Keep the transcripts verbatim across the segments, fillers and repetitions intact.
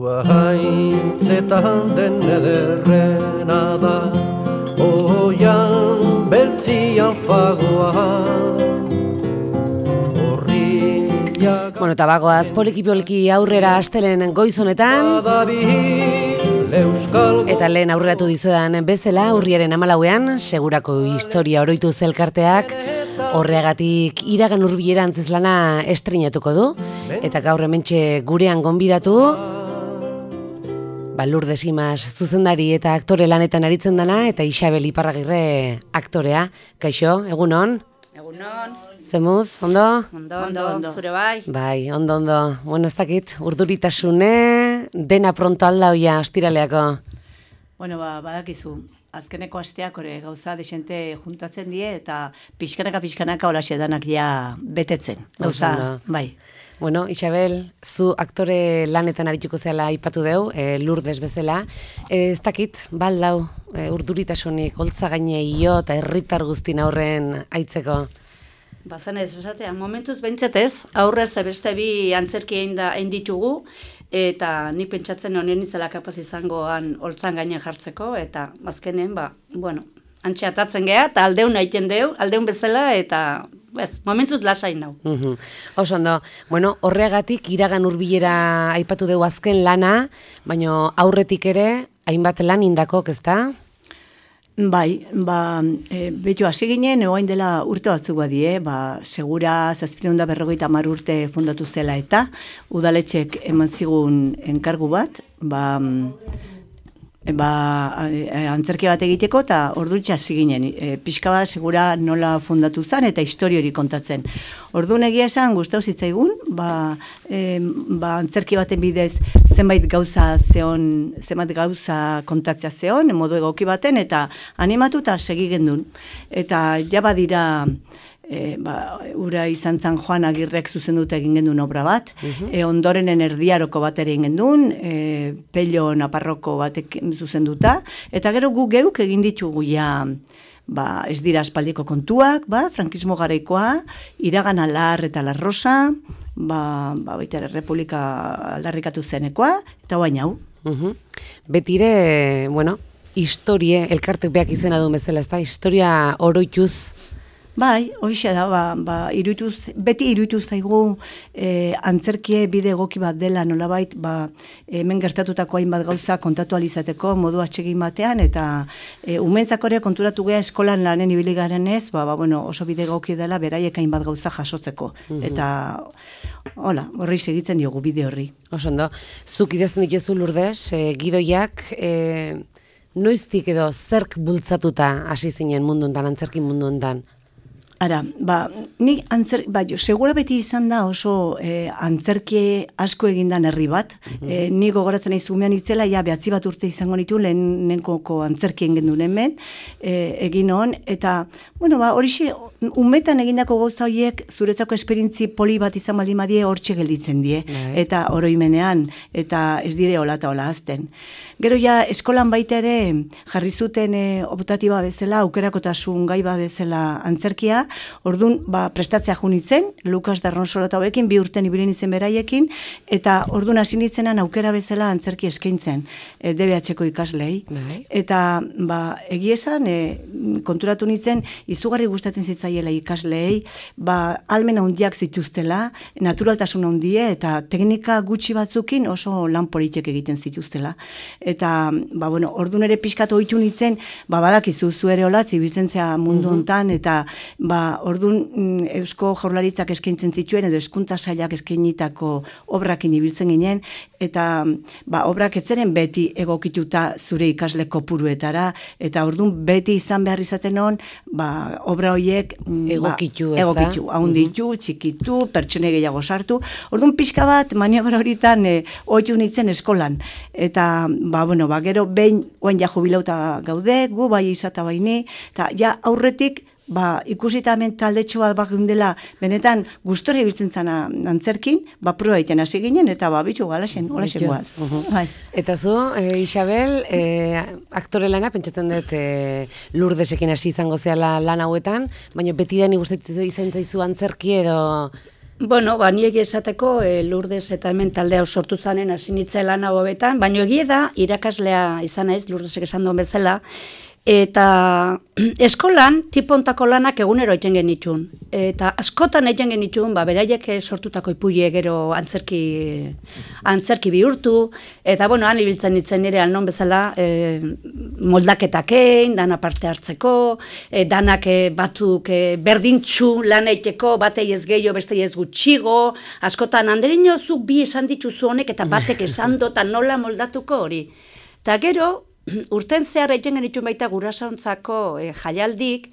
Zuaitzetan den ederrena da, oian beltzian fagoa. Bueno, eta bagoaz, poliki-poliki aurrera astelen goiz honetan, eta lehen aurreratu dizuedan bezala, urriaren hamalauean, segurako historia oroitu zelkarteak, horreagatik iragan hurbilera antzezlana estrenatuko du, eta gaur hementxe gurean gonbidatu, ba, Lourdes Imaz zuzendari eta aktore lanetan aritzen dana, eta Isabel Iparragirre aktorea. Kaixo, egunon? Egunon. Zemuz, ondo? Ondo, ondo, ondo, zure bai. Bai, ondo, ondo. Bueno, ez dakit, urduritasune, dena pronto alda hoia ostiraleako. Bueno, ba, badakizu, azkeneko asteak ore gauza desente juntatzen die, eta pixkanaka-pixkanaka horaxe danak ja betetzen. Gauza, bai. Bueno, Isabel, zu aktore lanetan arituko zela aipatu deu, e, Lourdes bezala. E, ez dakit, baldau, e, urduritasunik, holtza gaineio eta herritar guztin aurren aitzeko. Bazan ez, osatea, momentuz behintzatez, aurrez beste bi antzerki egin ditugu, eta nik pentsatzen honen itzela kapaz izangoan holtzan gaine jartzeko, eta azkenen, ba, bueno, antxe atatzen geha, eta aldeun aiten deu, aldeun bezala, eta bez, momentuz lasain nau. Uh-huh. Oso ondo, bueno, horregatik iragan hurbilera aipatu deu azken lana, baina aurretik ere, hainbat lan indakok, ezta? Bai, ba, e, betu hasi ginen, egoain dela urte batzuk badie, ba, segura zazpireun da berrogeita hamar urte fundatu zela eta udaletxek eman zigun enkargu bat, ba, ba, antzerki bat egiteko eta ordutxa hasi ginen, e, pixka bat segura nola fundatu zen eta historio hori kontatzen. Orduan egia esan gustau zitzaigun, ba, e, ba, antzerki baten bidez zenbait gauza zeon, zenbait gauza kontatzea zeon, modu egoki baten, eta animatu eta segi gendun. Eta ja badira, e, ba, ura izan zan Joan Agirrek zuzenduta egin gendun obra bat, uh-huh. e, ondorenen erdiaroko bat ere egin gendun, e, Pello Naparroko batek zuzenduta, eta gero gu geuk egin ditugu ja, ba, ez dira aspaldiko kontuak, ba, frankismo garaikoa, iragan alar eta la rosa, ba, ba, baita Republika aldarrikatu zenekoa, eta bain hau. Uh-huh. Betire, bueno, historie, elkartek beak izena du bezala, ez da, historia oroituz. Bai, hoxe da, ba, ba, irutuz, beti irutuz zaigu e, antzerkie bide egoki bat dela nolabait, ba, hemen gertatutako hainbat gauza kontatu alizateko modu atsegin batean, eta e, umentzako ere konturatu geha eskolan lanen ibili garen ez, ba, ba, bueno, oso bide egoki dela beraiek hainbat gauza jasotzeko. Mm-hmm. Eta, hola, horri segitzen diogu bide horri. Oso ondo, zuk idazten dituzu Lourdes, e, gidoiak, e, noiztik edo zerk bultzatuta hasi zinen mundu hontan, antzerki mundu hontan? Ara, ba, ni antzer, ba, jo, segura beti izan da oso eh, antzerkie asko egindan herri bat. Mm-hmm. eh, ni gogoratzen nahi zumean itzela, ja, behatzi bat urte izango nitu, lehenenkoko antzerkien gendun hemen, eh, egin hon, eta, bueno, ba, horixe, umetan egindako gauza horiek, zuretzako esperientzi poli bat izan baldin badie, hortxe gelditzen die, mm-hmm. eta oroimenean, eta ez dire hola eta hola azten. Gero ja, eskolan baita ere, jarri zuten e, optatiba bezala, aukerakotasun gai ba bezala antzerkia, orduan, ba, prestatzea junitzen, Lukas Darronsola eta hoekin, bi urten ibili nintzen beraiekin, eta orduan hasi nintzenan aukera bezala antzerki eskaintzen, e, D B H-ko ikaslei. Bai. Eta, ba, egiesan, e, konturatu nintzen, izugarri gustatzen zitzaiela ikasleei, ba, almen handiak zituztela, naturaltasun handie, eta teknika gutxi batzukin oso lan politek egiten zituztela. Eta, ba, bueno, ordun ere pixkatu ohitu nintzen, ba, badakizu zu ere hola, zibiltzen zea mundu hontan, eta, ba, ordun Eusko Jaurlaritzak eskaintzen zituen, edo hezkuntza sailak eskainitako obrakin ibiltzen ginen, eta, ba, obrak etzeren beti egokituta zure ikasle kopuruetara, eta ordun beti izan behar izaten hon, ba, obra horiek, egokitu, ba, egokitu, haunditu, uh-huh. txikitu, pertsone gehiago sartu, ordun pixka bat, maniobra horitan, e, ohitu nintzen eskolan, eta, ba, bueno, ba, gero behin oain ja jubilauta gaude, gu bai izata baini, eta ja aurretik, ba, ikusita hemen taldetxo bat bakundela, benetan gustore ibiltzen zana antzerkin, ba, proba egiten hasi ginen, eta ba, bitu galaxen, galaxen guaz. Uh-huh. Eta zu, e, Isabel, e, aktore lana, pentsatzen dut e, Lourdesekin hasi izango zeala lan hauetan, baina beti dani gustatzen izan zaizu antzerki edo... Bueno, ba, ni egia esateko e, Lourdes eta hemen talde hau sortu zanen hasi nintzen lan hau hobetan, baina egia da irakaslea izan naiz, Lourdesek esan duen bezala, eta eskolan tipontako lanak egunero egiten genitun. Eta askotan egiten genitun, ba, beraiek sortutako ipuie gero antzerki, antzerki bihurtu, eta bueno, han ibiltzen nintzen nire alnon bezala e, moldaketakein, dana parte hartzeko, e, danak e, batzuk e, berdintxu lan eiteko, batei ez gehiago, bestei ez gutxigo, askotan andereño zuk bi esan dituzu honek, eta batek esan dota nola moldatuko hori. Eta gero, urten zehar egiten genitun baita gurasoentzako e, jaialdik,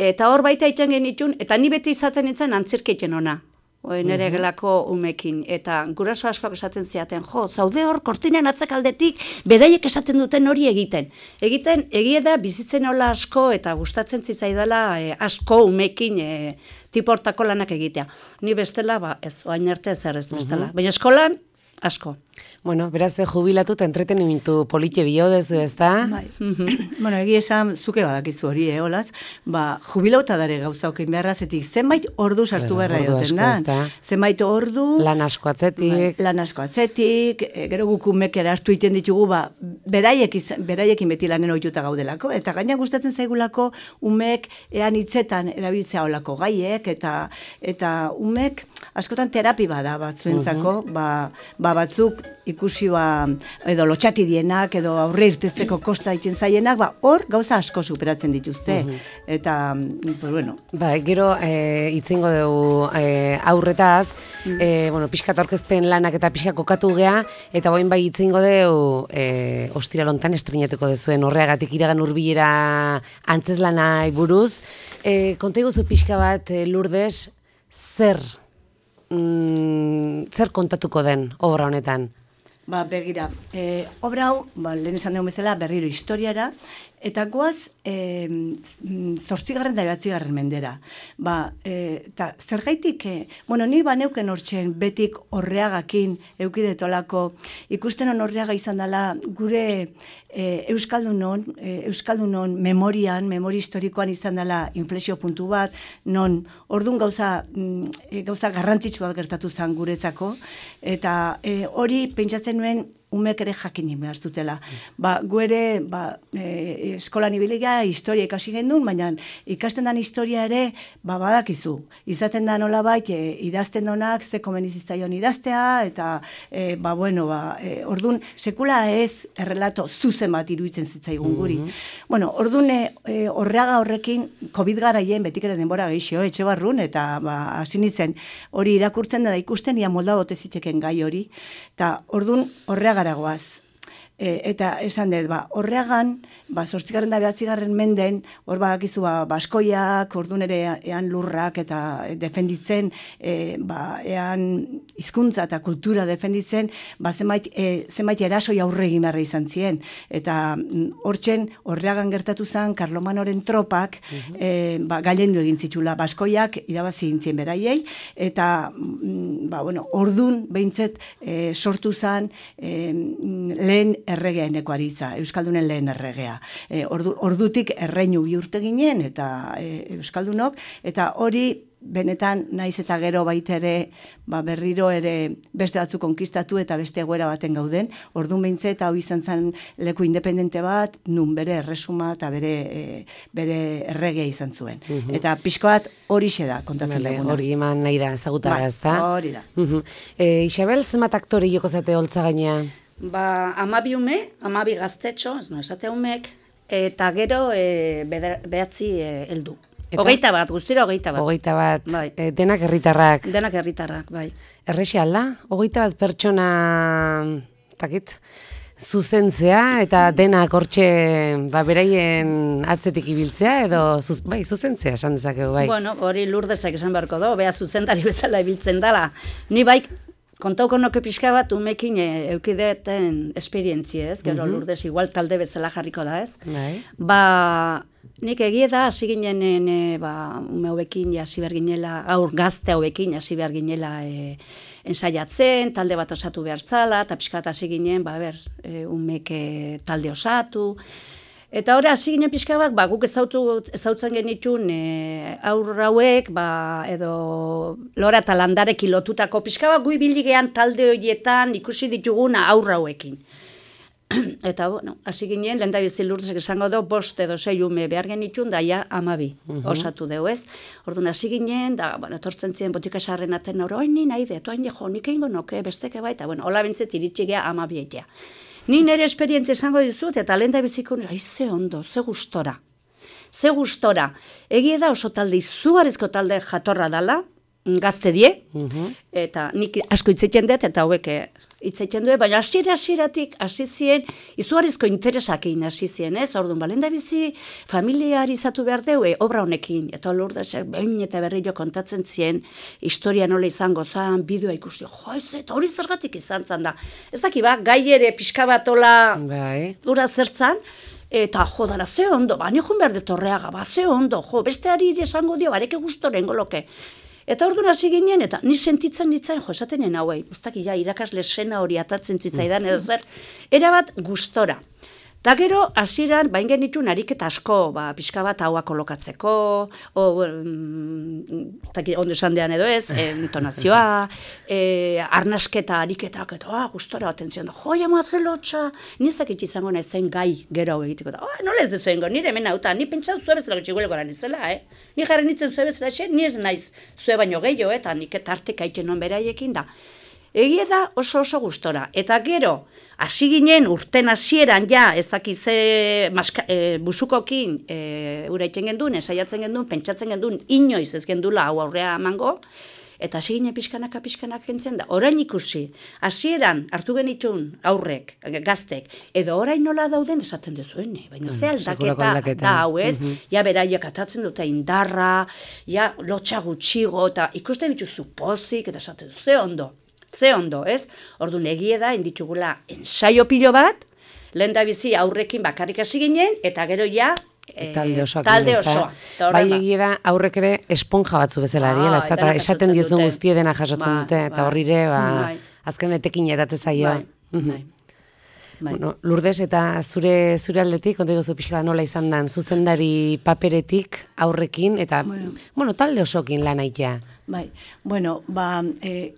eta hor baita egiten genitun, eta ni beti izaten nintzen antzerki egiten ona, nire gelako umekin, eta guraso askoak esaten ziaten, jo, zaude hor kortinen atzekaldetik, beraiek esaten duten hori egiten. Egiten, egia da, bizitzen hola asko, eta gustatzen zitzaidala e, asko umekin e, tiportako lanak egitea. Ni bestela, ba, ez, oain arte ez ez bestela. Baina eskolan, asko. Bueno, beraz, jubilatu eta entretenimentu politxe biodezu, ez da? Bai. Bueno, egia esan, zuke badakizu hori, eh, olaz, ba, jubilauta dare gauza okein beharra zetik, zenbait ordu sartu beharra egoten da. Zenbait ordu... Lan asko atzetik. Ba, lan asko atzetik, e, gero gukumek hartu iten ditugu, ba, beraiek izan, beraiekin beti lanen ohituta gaudelako, eta gaina gustatzen zaigulako umek ean hitzetan erabiltzea olako gaiek, eta eta umek askotan terapi bada batzuentzako, uh -huh. ba, ba batzuk ikusi ba, edo lotxati dienak, edo aurre irtetzeko kosta egiten zaienak, ba, hor gauza asko superatzen dituzte. Uh-huh. Eta, pues bueno. Ba, gero, e, itzingo dugu e, aurretaz, mm. e, bueno, pixkat aurkezpen lanak eta pixka kokatu gea, eta boin bai itzingo dugu e, ostiralontan estrenatuko dezuen horreagatik iragan hurbilera antzeslanai buruz. E, konta iguzu pixka bat, e, Lourdes, zer, mm, zer kontatuko den obra honetan? Ba, begira, e, obra hau, ba, lehen esan dugu bezala, berriro historiara, eta goaz, e, zortzigarren da behatzigarren mendera. Ba, e, eta zergaitik, e, bueno, ni baneuken hortzen betik horreagakin eukidetolako, ikusten hon horreaga izan dela gure e, Euskaldunon, e, Euskaldunon memorian, memori historikoan izan dela inflexio puntu bat, non ordun gauza, e, gauza garrantzitsua gertatu zen guretzako, eta e, hori pentsatzen nuen umek ere jakin behar zutela. Ba, gu ere, ba, e, eskolan ibiliga, historia ikasi gendun, baina ikasten dan historia ere, ba, badakizu. Izaten da nolabait, e, idazten donak, ze komenizitzaion idaztea, eta, e, ba, bueno, ba, e, ordun, sekula ez errelato zuzen bat iruditzen zitzaigun guri. Mm -hmm. Bueno, ordun, e, horreaga horrekin, COVID garaien, betik ere denbora gehixo, etxe barrun, eta, ba, hasi nintzen, hori irakurtzen da ikusten, ia molda bote zitzeken gai hori, eta ordun, horreaga goaz. E, eta esan dut, ba, horreagan, ba, zortzigarren da behatzigarren menden, hor badakizu, ba, baskoiak, ordun ere ean lurrak eta defenditzen, e, ba, ean hizkuntza eta kultura defenditzen, ba, zenbait, e, zenbait erasoi aurre egin beharra izan ziren. Eta hortzen, horreagan gertatu zen, Karlomanoren tropak, uh-huh. e, ba, gailendu egin zitula, baskoiak irabazi gintzien beraiei, eta, ba, bueno, ordun behintzet e, sortu zen, e, lehen erregea eneko aritza, Euskaldunen lehen erregea. E, ordu, ordutik erreinu bihurte ginen, eta e, Euskaldunok, eta hori benetan naiz eta gero baita ere, ba, berriro ere beste batzu konkistatu eta beste egoera baten gauden, ordun behintzet eta hau izan zen leku independente bat, nun bere erresuma eta bere, e, bere erregea izan zuen. Uh-huh. Eta pixko bat hori xe da, kontatzen vale, duguna. Hori eman nahi da, ezagutara ba, ez da? Hori da. Uh-huh. e, Isabel, zenbat aktore joko zate holtza gainea? Ba, amabi ume, amabi gaztetxo, ez no, esate umek, eta gero e, behatzi e, heldu. Hogeita bat, guztira hogeita bat. Hogeita bat, bai. e, denak herritarrak. Denak herritarrak, bai. Errexi alda? Hogeita bat pertsona, takit, zuzentzea eta denak hortxe ba, beraien atzetik ibiltzea edo zuz, bai, zuzentzea esan dezakegu, bai. Bueno, hori Lourdesak esan beharko do, bea zuzendari bezala ibiltzen dela. Ni bai, kontauko noke pixka bat umekin e, eukideten esperientzie, ez? Gero uh-huh. Lourdes igual talde bezala jarriko da, ez? Bai. Ba, nik egie da, hasi ginenen, e, ba, ume hauekin hasi behar ginela, aur gazte hauekin hasi behar ginela e, ensaiatzen, talde bat osatu behar zala, eta pixka bat hasi ginen, ba, ber, e, umek e, talde osatu, Eta hori, hasi ginen pixka bat, ba, guk ezautu, ezautzen genitun e, aur hauek, ba, edo lora eta landarekin lotutako pixka bat, gu ibildigean talde horietan ikusi dituguna aur hauekin. Eta, bueno, hasi ginen, lehen da bizi Lurdesek esango do, bost edo sei ume behar genitun, da ja amabi osatu deu, ez? Orduan, hasi ginen, da, bueno, etortzen ziren botika sarren aten hori, oin ni nahi dut, oin jo, nik eingo noke, besteke baita, bueno, hola bintzet iritsi gea amabi eitea. Ni nire esperientzia esango dizut, eta lehen da biziko nire, ze ondo, ze gustora. Ze gustora. Egie da oso talde, izugarrizko talde jatorra dala, gazte die, eta nik asko hitzeiten dut, eta hauek hitzeiten dut, baina hasiera hasieratik hasi zien, izugarrizko interesakin hasi zien, ez? Orduan, balenda bizi familiarizatu behar deu, obra honekin, eta Lurdesek behin eta berriro kontatzen zien, historia nola izango zan, bideoa ikusi, jo, ez, eta hori zergatik izan zan da. Ez daki ba, gai ere pixka batola ura zertzan, eta jo, dara, ze ondo, ba, niogun behar dut horreaga, ba, ze ondo, jo, besteari esango dio, bareke gustoren goloke. Eta orduan hasi ginen, eta ni sentitzen nintzen, jo, esatenen hauei, ez daki, ja, irakasle sena hori atatzen zitzaidan, edo zer, erabat gustora. Ta gero, hasieran bain genitun ariketa asko, ba, pixka bat haua kolokatzeko, o, mm, taki, ondo esan dean edo ez, e, intonazioa, e, arnasketa ariketak, eta ah, gustora baten zion da, jo, jama zelotxa, nizak itxizango nahi zen gai gero hau egiteko da, oh, nola ez dezuengo, nire hemen hauta, ni pentsan zue bezala gutxigueleko lan izela, eh? Ni jarren nintzen zue bezala xe, ni ez naiz zue baino gehiago, eta nik eta artek aitzen non beraiekin da. Egia da oso oso gustora. Eta gero, hasi ginen urten hasieran ja, ez dakize e, busukokin e, ura itzen gendun, esaiatzen gendun, pentsatzen gendun, inoiz ez gendula hau aurrea emango, eta hasi ginen pixkanaka pixkanak gentzen da. Orain ikusi, hasieran hartu genitun aurrek, gaztek, edo orain nola dauden esaten duzuene, baina ze aldaketa da hau ez, ja beraiek atatzen dute indarra, ja lotxa gutxigo, eta ikusten dituzu pozik, eta esaten du, ze ondo. Ze ondo, ez? Orduan egie da, inditugula ensaio pilo bat, lehen da bizi aurrekin bakarrik hasi ginen, eta gero ja, e, talde osoa. Talde osoa. Bai egie da, aurrek ere esponja batzu bezala diela, eta esaten diozun guztie dena jasotzen dute, eta horrire, azken etekin edatzen zaio. Bueno, Lourdes, eta zure zure aldetik, konta gozu pixka nola izan dan, zuzendari paperetik aurrekin, eta, bueno, talde osokin lan aitea. Bai, bueno, ba, e,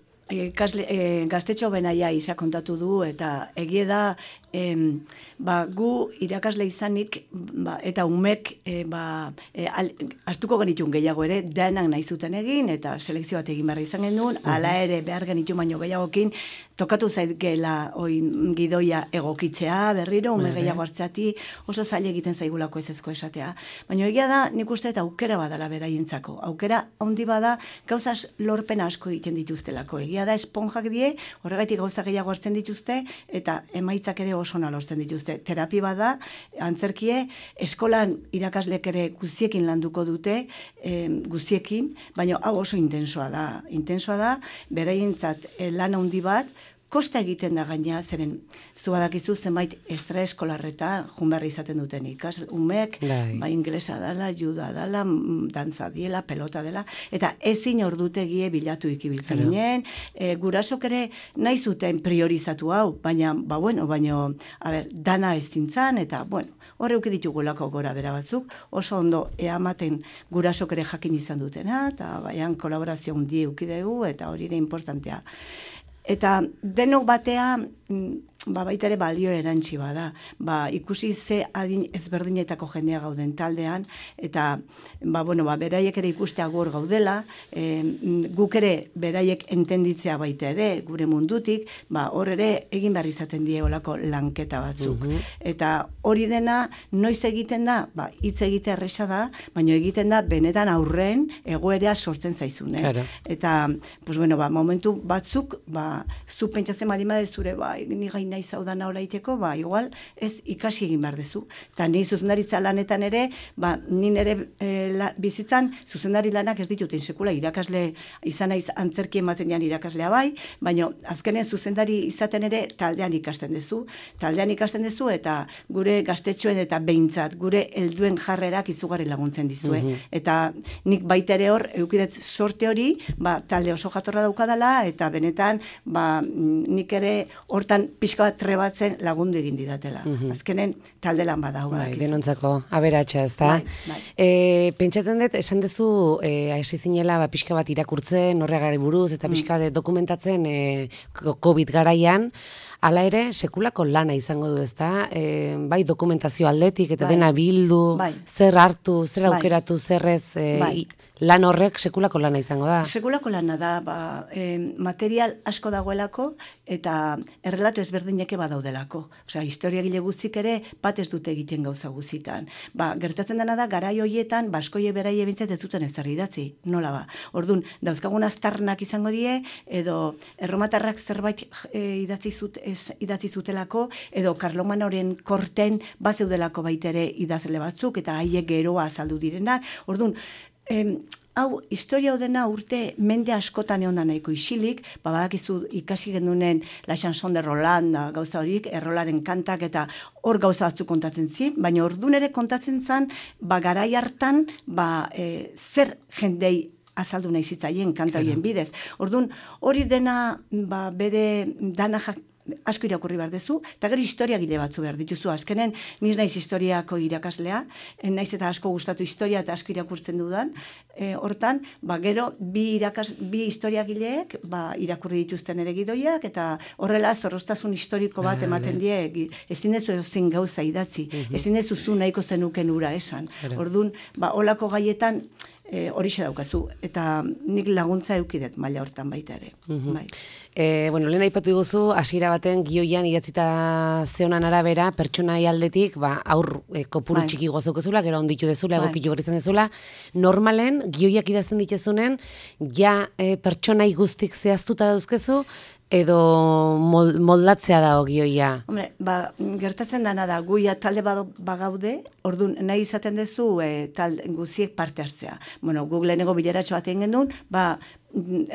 Kasle, e, gaztetxo benaia isa kontatu du, eta egie da, em, ba, gu irakasle izanik, ba, eta umek e, ba, e, al, hartuko genitun gehiago ere, denak nahi zuten egin, eta selekzio bat egin behar izan genuen, ala ere behar genitun baino gehiagokin, tokatu zaigela oin gidoia egokitzea, berriro, ume gehiago hartzeati, oso zaila egiten zaigulako ezezko esatea. Baina egia da, nik uste eta aukera badala beraientzako. Aukera handi bada, gauzaz lorpen asko egiten dituztelako. Egia da, esponjak die, horregatik gauza gehiago hartzen dituzte, eta emaitzak ere oso nalortzen dituzte. Terapi bada, antzerkie, eskolan irakaslek ere guziekin landuko dute, eh, guziekin, baina hau oso intensoa da. Intensoa da, beraientzat eh, lan handi bat, kosta egiten da gaina, zeren zu badakizu zenbait extraeskolarreta junberri izaten duten ikas, umek, ba inglesa dela, juda dela, dantza diela, pelota dela, eta ezin ordutegie bilatu ikibiltzen ginen, e, gurasok ere nahi zuten priorizatu hau, baina, ba bueno, baina, a ber, dana ez zintzan, eta, bueno, horre uki ditugulako gora bera batzuk, oso ondo eamaten gurasok ere jakin izan dutena, eta baian kolaborazio hundi ukidegu, eta hori ere importantea. Eta denok batea, ba, baita ere balio erantzi bada. Ba, ikusi ze adin ezberdinetako jendea gauden taldean, eta ba, bueno, ba, beraiek ere ikustea gor gaudela, e, guk ere beraiek entenditzea baita ere, gure mundutik, ba, hor ere egin behar izaten die olako lanketa batzuk. Uh-huh. Eta hori dena, noiz egiten da, ba, hitz egite erresa da, baina egiten da benetan aurren egoera sortzen zaizune. Claro. Eta, pues, bueno, ba, momentu batzuk, ba, zu pentsatzen baldin bade zure, ba, ni gain nahi zaudana hola iteko, ba, igual, ez ikasi egin behar dezu. Eta ni zuzendaritza lanetan ere, ba, ni nire e, la, bizitzan, zuzendari lanak ez dituten sekula, irakasle izan naiz antzerki ematen dian irakaslea bai, baina azkenen zuzendari izaten ere taldean ikasten dezu, taldean ikasten dezu, eta gure gaztetxoen eta behintzat, gure helduen jarrerak izugarri laguntzen dizue. Mm-hmm. Eta nik baita ere hor, eukidet sorte hori, ba, talde oso jatorra daukadala, eta benetan, ba, nik ere hortan pixka pixka bat trebatzen lagundu egin didatela. Azkenen talde lan badau. Bai, denontzako aberatsa, ez da? Bai, bai. E, pentsatzen dut, esan dezu, e, hasi zinela ba, pixka bat irakurtzen, horregari buruz, eta pixka bat dokumentatzen e, COVID garaian, hala ere, sekulako lana izango du, ez da? E, bai, dokumentazio aldetik, eta Bai. dena bildu, Bai. zer hartu, zer Bai. aukeratu, zerrez, e, Bai. i- lan horrek sekulako lana izango da. Sekulako lana da, ba, eh, material asko dagoelako eta errelato ezberdineke badaudelako. Osea, historiagile guztik ere bat ez dute egiten gauza guztitan. Ba, gertatzen dena da, garai hoietan, baskoie beraie bintzat ez duten ezer idatzi. Nola ba? Orduan, dauzkagun aztarnak izango die, edo erromatarrak zerbait e, idatzi, zut, ez, idatzi zutelako, edo Karlomanoren korten bazeudelako baitere idazle batzuk, eta haiek geroa azaldu direnak. Orduan, Em, hau, historia dena urte mende askotan egon da nahiko isilik, ba, badakizu ikasi genunen La Chanson de Roland, da, gauza horik, errolaren kantak eta hor gauza batzuk kontatzen zi, baina ordun ere kontatzen zan, ba, garai hartan, ba, e, zer jendei azaldu nahi zitzaien kanta horien bidez. Orduan, hori dena, ba, bere dana jak, asko irakurri behar dezu, eta gero historiagile batzu behar dituzu. Azkenen, niz naiz historiako irakaslea, naiz eta asko gustatu historia eta asko irakurtzen dudan, e, hortan, ba, gero, bi, irakas, bi historiagileek ba, irakurri dituzten ere gidoiak, eta horrela zorroztasun historiko bat ematen die, ezin dezu edozin gauza idatzi, ezin dezu zu nahiko zenuken ura esan. Orduan, ba, olako gaietan, E, horixe daukazu, eta nik laguntza eukidet maila hortan baita ere. Bai. E, bueno, lehen aipatu diguzu, hasiera baten gioian idatzita zeonan arabera, pertsonai aldetik, ba, aur e, kopuru Bai. txiki gozokezula, gero onditu dezula, Bai. egokitu berrizan dezula, normalen, gioiak idazten dituzunen, ja e, pertsonai guztik zehaztuta dauzkezu, edo mol, moldatzea da gioia. Hombre, ba, gertatzen dana da, guia talde bado- bagaude, orduan nahi izaten duzu e, talde guziek parte hartzea. Bueno, Googlenego bileratxo bat egin genuen, ba,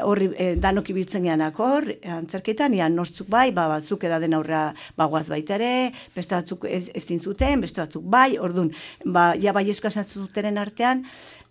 horri e, danok ibiltzen geanak hor, antzerketan, ian nortzuk bai, ba, batzuk edaden aurra bagoaz baita ere, beste batzuk ez, ezin zuten, beste batzuk bai, orduan, ba, ja bai esku zutenen artean,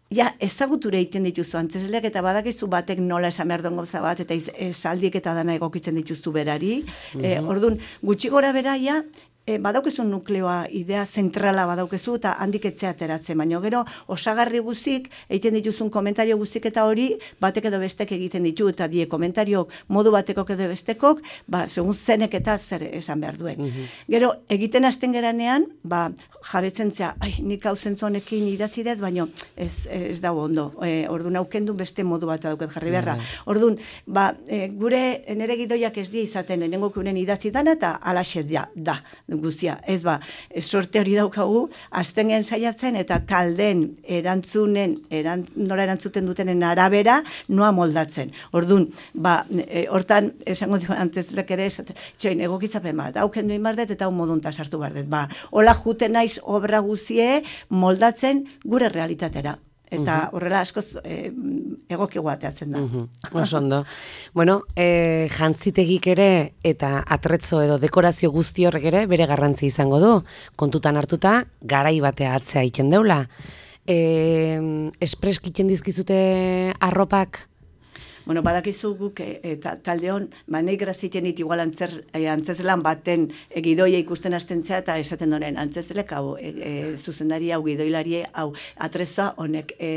ja, ezaguture egiten dituzu antzesleak eta badakizu batek nola esan behar duen gauza bat, eta esaldiek eta dana egokitzen dituzu berari. E, orduan, gutxi gora beraia, e, badaukezu nukleoa, idea zentrala badaukezu, eta handik etzea ateratzen, baina gero osagarri guzik, egiten dituzun komentario guzik eta hori, batek edo bestek egiten ditu, eta die komentariok modu batekok edo bestekok, ba, segun zenek eta zer esan behar duen. Gero, egiten hasten geranean, ba, jabetzen zea, ai, nik hau zentzonekin idatzi dut, baina ez, ez dago ondo. E, orduan aukendu beste modu bat dauket jarri beharra. Orduan, ba, e, gure nere gidoiak ez die izaten, enengo kuren idatzi dana, eta alaxe da, da, guztia. Ez ba, sorte hori daukagu, azten gen saiatzen, eta talden erantzunen, erant, nola erantzuten dutenen arabera, noa moldatzen. Orduan, ba, e, hortan, esango dio antzezlek ere, txoin, egokitzapen bat, hauken duin bardet, eta hau modunta sartu bardet. Ba, hola juten naiz obra guzie moldatzen gure realitatera. Eta horrela askoz e, egoki guateatzen da. Oso ondo. Bueno, e, jantzitegik ere eta atretzo edo dekorazio guzti horrek ere bere garrantzi izango du. Kontutan hartuta, garai batea atzea egiten deula. E, espreskiten dizkizute arropak? Bueno, badakizu guk e, e, ta, talde hon, ba, nahi graziten dit igual antzer, e, antzeslan baten e, gidoia ikusten hasten zea, eta esaten donen antzeslek, hau, e, e, zuzendari hau, gidoilarie, hau, atrezoa honek, e,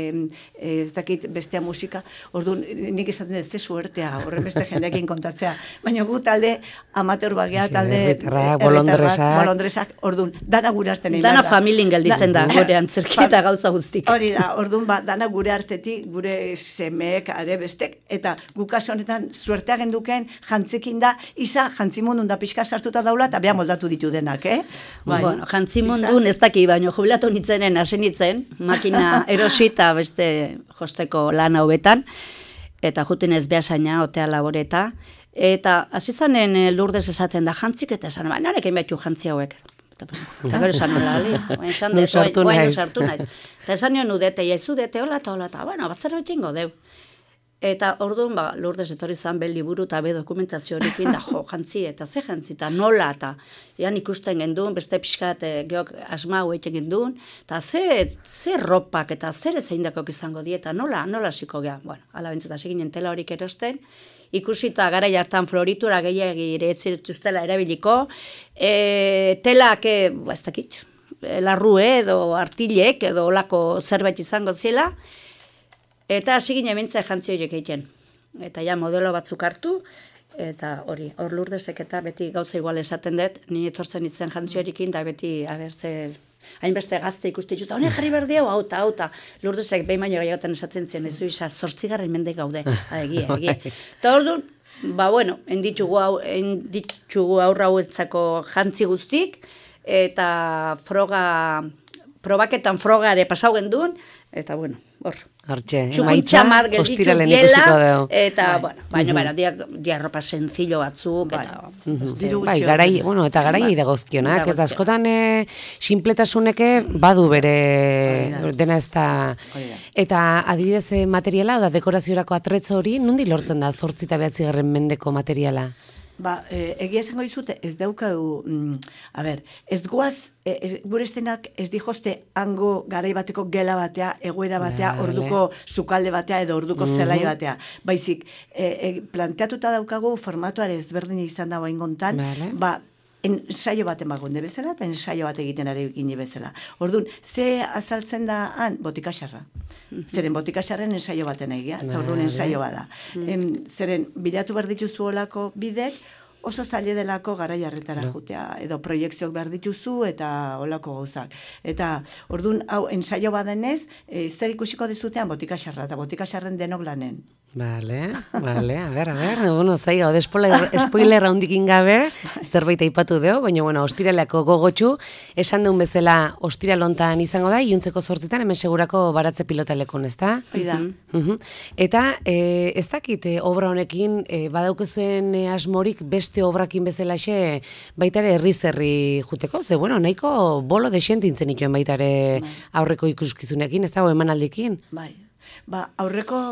e, ez dakit bestea musika, orduan nik esaten dut, ze suertea, horren beste jendeekin kontatzea, baina gu talde amateur bagea, talde herritarrak, bolondresak, bolondresak, orduan, dana gure arte nahi Dana behar da. familien gelditzen da, gure antzerketa gauza guztik. Hori da, orduan, ba, dana gure artetik, gure semeek, are bestek, eta gukas honetan suertea genduken jantzekin da, isa jantzimundun da pixka sartuta daula, eta beha moldatu ditu denak, eh? Bai. Bueno, jantzimundun ez daki, baino jubilatu nitzenen, hasi nitzen, makina erosita beste josteko lan hauetan, eta jutin ez behasaina, otea laboreta, eta hasi zanen Lourdes esaten da jantzik, eta esan, ba, norekin behatxu jantzi hauek. Eta gero esan nola, aliz, esan dut, oain sartu naiz. Eta esan nion udete, jaizu dete, hola eta hola, eta, bueno, bazer betxingo deu. Eta orduan, ba, Lourdes etorri zan be liburu eta be dokumentazio horikin da, jo, jantzi, eta ze jantzi, eta nola, eta ean ikusten genduen, beste pixkat e, geok asma hueite genduen, eta ze, ze ropak, eta zer ezein dakok izango die, eta nola, nola ziko geha. Bueno, ala bentzut, hasi ginen tela horik erosten, ikusita garai hartan floritura gehiagi ere etzituztela erabiliko, e, telak, e, ba, ez dakit, larrue edo artilek edo olako zerbait izango zela, eta hasi ginen mintzea jantzi horiek egiten. Eta ja modelo batzuk hartu, eta hori, hor Lurdesek eta beti gauza igual esaten dut, ni etortzen itzen jantzi horiekin, da beti, a ber, ze, hainbeste gazte ikuste ditut, honek jarri behar diau, hauta, hauta. Lurdesek behin baino gehiagotan esaten zen, ez du isa, zortzigarren mende gaude, egia, egia. Eta hor du, ba, bueno, enditxugu, hau, enditxugu aurra hauetzako jantzi guztik, eta froga, probaketan frogare pasau gendun, eta bueno, hor. Hortxe, emaitza ostiralen ikusiko dugu. Eta, bueno, baina, baina, dia ropa sencillo batzuk, eta... Bai, garai, bueno, eta garai dagozkionak, ez askotan sinpletasuneke badu bere dena ez da... Eta adibidez materiala, da dekoraziorako atretzo hori, nondi lortzen da zortzi eta behatzigarren mendeko materiala? Ba, e, egia esango dizute, ez daukau, mm, a ber, ez guaz, e, ez, gure estenak ez dijozte hango garai bateko gela batea, egoera batea, vale. Orduko sukalde batea edo orduko mm-hmm. zelai batea. Baizik, e, e, planteatuta daukagu formatuare ezberdin izan dago ingontan, vale. Ba, ensaio bat emagunde bezala, eta ensaio bat egiten ari gine bezala. Orduan, ze azaltzen da han, botikaxarra. Zeren botikaxarren ensaio baten egia, eta orduan ensaio bada. Em, zeren, bilatu behar dituzu olako bidek, oso zaila delako garai harretara jutea, edo proiektzioak behar dituzu eta olako gauzak. Eta, orduan, hau, ensaio badenez, e, zer ikusiko dizutean botikaxarra, eta botikaxarren denok lanen. Bale, bale, a ber, a ber, bueno, zai, gaude spoiler handikin gabe, zerbait aipatu deo, baina, bueno, ostiraleko gogotxu, esan duen bezala ostiralontan izango da, iuntzeko zortzitan, hemen segurako baratze pilotalekon, ez da? Hoi da. Eta, e, ez dakit, e, obra honekin, e, badaukezuen e, asmorik beste obrakin bezalaxe, baitare herri-zerri juteko, ze, bueno, nahiko bolo desentintzen ituen baitare aurreko ikuskizunekin, ez da, emanaldikin? Bai, ba, aurreko...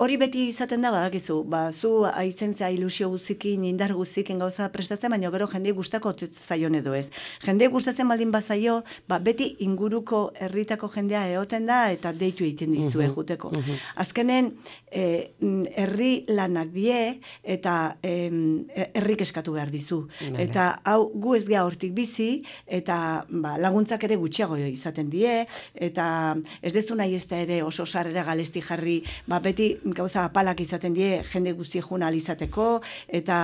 Hori beti izaten da badakizu, ba, zu aizentzea ilusio guzikin, indar guzikin gauza prestatzen, baina gero jende gustako zaion edo ez. Jende gustatzen baldin bazaio, ba, beti inguruko herritako jendea egoten da eta deitu egiten dizue uh-huh, juteko. Uh-huh. Azkenen, eh, herri lanak die eta eh, herrik eskatu behar dizu. Vale. Eta hau gu ez gea hortik bizi, eta ba, laguntzak ere gutxiago izaten die, eta ez dezu nahi ez da ere oso sarrera galesti jarri, ba, beti gauza apalak izaten die, jende guzti juna alizateko, eta,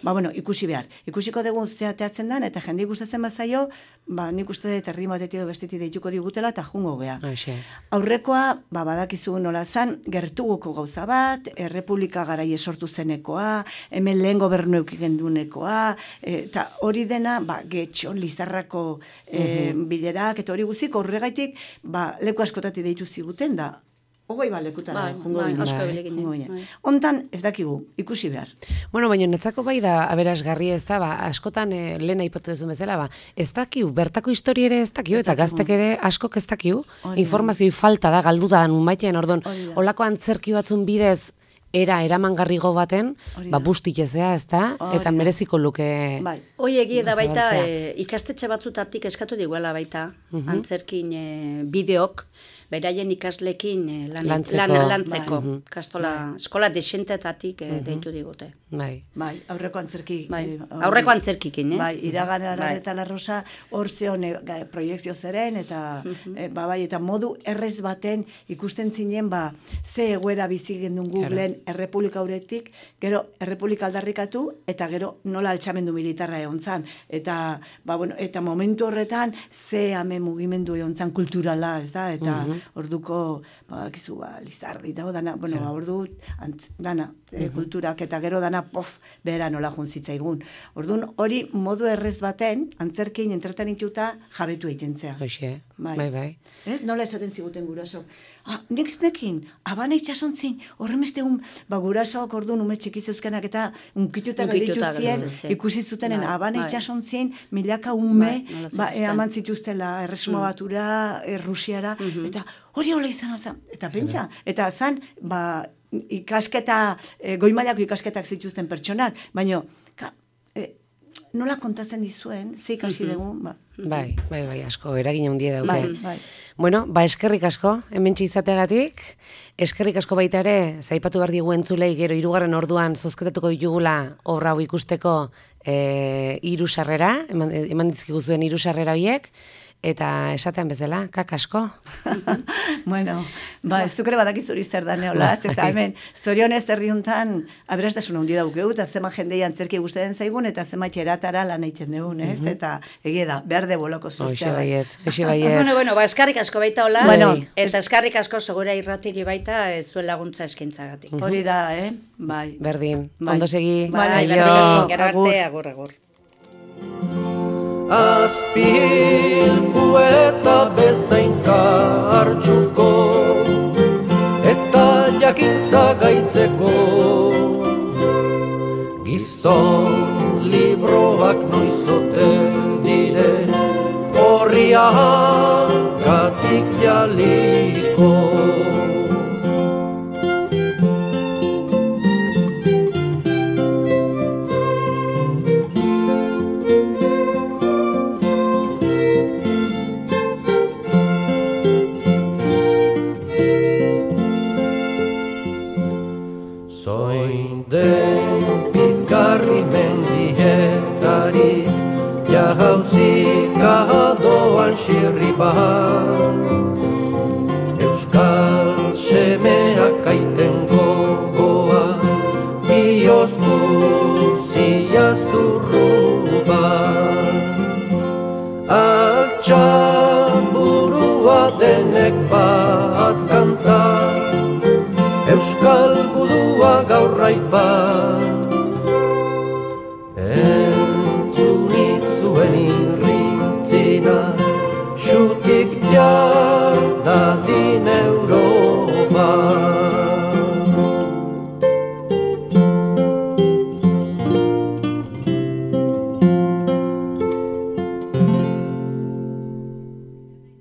ba, bueno, ikusi behar. Ikusiko dugu zeateatzen dan, eta jende gustatzen bazaio, ba, nik uste dut herri batetik edo bestetik deituko digutela, eta jungo gea. Aixe. Aurrekoa, ba, badakizu nola zan, gertuguko gauza bat, errepublika garai esortu zenekoa, hemen lehen gobernu eukigendunekoa, eta hori dena, ba, getxon, lizarrako e, uh-huh. bilerak, eta hori guzik, horregaitik, ba, leku askotati deitu ziguten da, Ogoi balekutara, bai, jungo bai, ginen. asko bilekin. Bai. Hontan, ez dakigu, ikusi behar. Bueno, baina netzako bai da aberasgarri ez da, ba, askotan eh, lehen aipatu duzu bezala, ba, ez dakiu, bertako historia ere ez dakiu, eta gaztek ere askok ez dakiu, informazioi falta da, galdu da, numaitean, ordon, olako antzerki batzun bidez, era eramangarrigo baten, ba, bustik ezea, ez da, eta mereziko luke... Bai. Hoi egia da baita, e, ikastetxe batzutatik eskatu diguela baita, uh-huh. antzerkin e, bideok, beraien ikaslekin e, lan, lantzeko, lan, lantzeko. Bai. Kastola, bai. Eskola desentetatik e, uh-huh. deitu digute. Bai. Bai, aurreko antzerki. Bai. E, aurreko antzerkikin, eh? Bai, iragana bai. Eta Larrosa hor zeon e, proiektzio zeren, eta uh-huh. e, ba, bai, eta modu errez baten ikusten zinen, ba, ze egoera bizi gendun Googleen errepublika uretik, gero errepublika aldarrikatu, eta gero nola altxamendu militarra egon zan. Eta, ba, bueno, eta momentu horretan, ze ame mugimendu egon zan kulturala, ez da, eta uh-huh. orduko, ba, kizu, ba, Lizardi, dago dana, bueno, ba, ordu, antz, dana, e, kulturak, eta gero dana, pof, behera nola junzitzaigun. Orduan, hori modu errez baten, antzerkein entretenituta jabetu egiten zea. Hoxe, bai, bai. bai. Ez, nola esaten ziguten guraso. Ah, nik nekin, abana itxasontzin, horremeste un, ba, gurasoak orduan ume txiki zeuzkenak eta unkituta gelditu zien, ikusi zutenen, bai, abana bai. itxasontzin, milaka ume, bai, ba, e, aman zituztela, erresuma batura, Errusiara, uh-huh. eta hori hola izan alzan, eta pentsa, eta zan, ba, ikasketa, e, goi mailako ikasketak zituzten pertsonak, baina, ka, e, nola kontatzen dizuen, ze ikasi dugu, ba. Bai, bai, bai, asko, eragin handia dauke. Bai, bai. Bueno, ba, eskerrik asko, hementsi izategatik, eskerrik asko baita ere, zaipatu behar digu entzulei, gero hirugarren orduan zozketatuko ditugula obra hau ikusteko e, hiru sarrera, eman, eman dizkigu zuen hiru sarrera horiek, eta esatean bezala, kak asko. Bueno, ba, ez zukere badakizu hori zer da neolatz, eta hemen, zorionez herriuntan, aberastasuna hundi daukeu, eta zema jendei antzerki gustatzen zaigun, eta zema txeratara lan egiten dugun, ez? Eta egia da, behar de boloko zuztea. Oixe baiet, oixe baiet. Bueno, bueno, ba, eskarrik asko baita hola, Bueno, eta eskarrik asko segura irratiri baita ez zuen laguntza eskintzagatik. Hori da, eh? Bai. Berdin, Bai. ondo segi. Bai, aio. berdin asko, gero Agur. arte, agur, agur. Azpilku eta bezainka hartxuko eta jakintza gaitzeko gizon libroak noizote dire horriagatik jaliko. Den pizgarri mendietarik jauzika doan xirriban Euskal semeak aiten gogoa bioztu ziazurruban Altxan burua denek bat kantar Euskal gudua gaur raipan